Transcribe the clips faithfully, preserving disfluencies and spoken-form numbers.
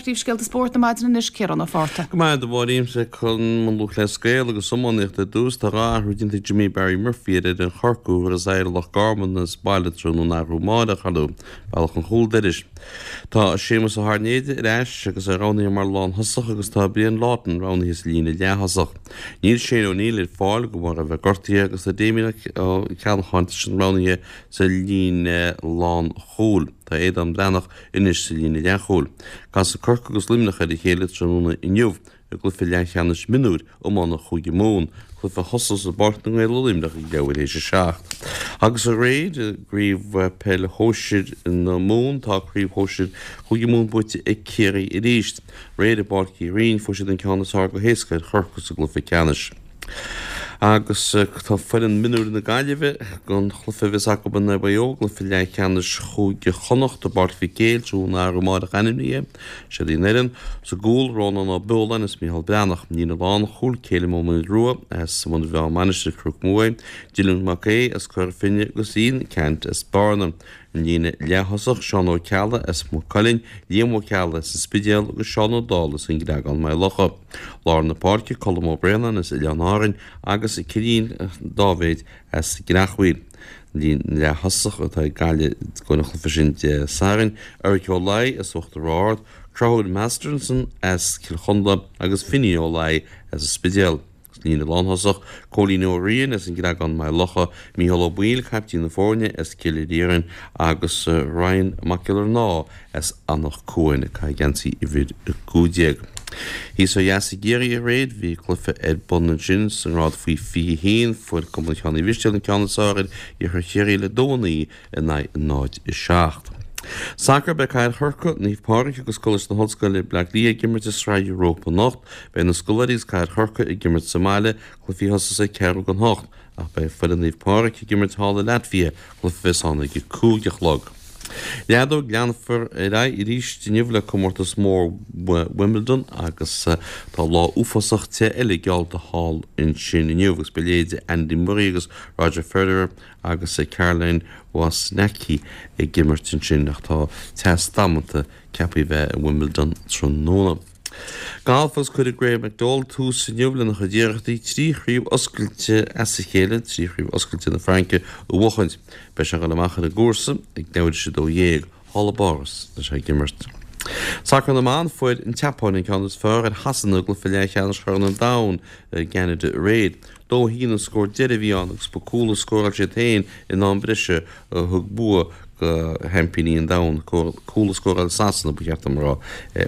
Príomhscéalta spóirt na maidine anois, Ciarán Ó Fátharta. Go maith a Mháirín, sa Chumann Lúthchleas Gael agus iománaíocht ar dtús, tá dhá athrú déanta ag Jimmy Barry Murphy ar fhoireann Chorcaí a bheas ag Loch Garman as baile tráthnóna arú amárach arú bealach an chúl dorais. Tá Séamus Ó hAirnéide ar ais agus é roghnaithe mar lánthosach agus tá Brian Lawton roghnaithe sa líne leath-thosach. Níl Shane O'Neill ar fáil de bharr a bheith gortaithe agus tá Damien Ó Ceallacháin sin roghnaithe sa líne lánchúil. Tá Aodán Breathnach anois sa líne leathchúil. Casfaidh Corcaigh agus Luimneach ar a chéile tráthnóna inniu i gcluiche leathcheannais mionúir iomána Chúige Mumhan, cluiche a thosós i bPáirc na nGael i Luimneach ag leathuair théis a seacht. Agus aréir i gcraobh peile shóisir na Mumhan tá craobh shóisir Chúige Mumhan buaite ag Ciarraí arís. Aréir i bPáirc Uí Rinn fuair siad an ceann is fearr go héasca ar Chorcaigh sa gcluiche ceannais. Agus tá foireann mionúir na Gaillimhe don chluiche a bheas acu in aghaidh Mhaigh Eo, cluiche leathcheannais Chúige Chonnacht i bPáirc Mhic Éil tráthnóna arú amárach ainmnithe. Siod í an fhoireann. Sa gcúl, Rónán Ó Beoláin is Micheál Breathnach. Líne lánchúil, Céilim Ó Maoilrua as Muine Mheá Mainistir Chnoc Muaidhe, Dylan Mac Aodha as Cora Finne agus Ian Ceannt as Bearna. An líne leath-thosach, Seán Ó Ceallaigh as Maigh Cuilinn, Liam Ó Ceallaigh as an Spidéal agus Seán Ó Dálaigh as an gCreagán Maigh Locha. Lár na páirce, Colm Ó Braonáin as Oileáin Árainn agus Cillian Dáibhéid as an gCreachmhaoil. An líne leath-thosach atá ag Gaillimh don chluiche sin Dé Sathairn, Eric Ó Laoi as Uachtar Ard, Conchúr Masterson as Cill Chonla agus Finny Ó Laoi as an Spidéal. Líne lánthosach, Cóilín Ó Riain as an gCreagán Maigh Locha, Mícheál Ó Baoill, caiptín na foirne as Cill Iarainn agus Ryan Mac Giollarnáth as Anach Cuain ag caitheamh geansaí uimhir a cúig déag. Thíos ó dheas i gCiarraí aréir bhí cluiche ar bun ansin sa ngrád faoi fiche haon. Fuair Cumann Sheáin Uí Mhistéil an ceann is fearr ar Iarthar Chiarraí le dó a naoi in aghaidh náid a seacht. Sacar beidh Cathair Chorcaí, Naomh Pádraig agus Coláiste na hOllscoile Bleá Cliath ag imirt i Sraith Europa anocht. Beidh na scoláirí agus Cathair Chorcaí ag imirt sa mbaile, cluichí a thosós ag ceathrú don hocht, ach beidh foireann Naomh Pádraig ag imirt thall i Latvia, cluiche a bheas ann ag a cúig a chlog. Leadóg leanfar ar aghaidh arís inniu le comórtas mór Wimbledon agus tá lá uafásach te eile geallta thall ansin inniu agus beidh leithéidí Andy Murray agus Roger Federer agus Caroline Wozniacki ag imirt ansin ach tá teas damanta ceaptha a bheith i Wimbledon tráthnóna. Galf agus cuirfidh Graham McDowell tús inniu lena chuid iarrachtaí trí chraobh oscailte as a chéile, trí chraobh oscailte na Fraince a bhuachaint. Beidh sé ag dul amach ar an gcúrsa ag leathuair théis a dó dhéag, thall i bPáras tá sé ag imirt. Sacar na mban, fuair an tSeapáin an ceann is fearr ar Shasana i gcluiche leathcheannais Chorn an Domhain i gCeanada aréir. Dó a haon an scór deiridh a bhí ann agus ba cúl a scóráil siad féin in am breise a thug bua do sheaimpíní an domhain. Cúl a scóráil Sasana, ba cheart dom a rá,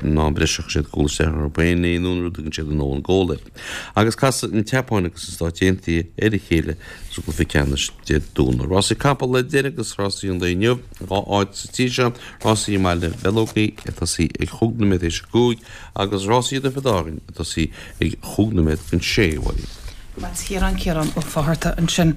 in am breise chuir siad cúl isteach orthu féin nó an rud a dtugann siad an own goal air. Agus casfaidh an tSeapáin agus na Stáit Aontaithe ar a chéile sa gcluiche ceannais Dé Domhnaigh. Rásaí capall le deireadh agus rásaí an lae inniu, dhá áit sa tír seo, rásaí i mBaile Mheileogaí ag tosaí ag chúig nóiméad théis a cúig agus rásaí i dTiobraid Árann ag tosaí ag chúig nóiméad don sé, a Mháirín. Matt Ciarán Ciarán Ó Fátharta ansin.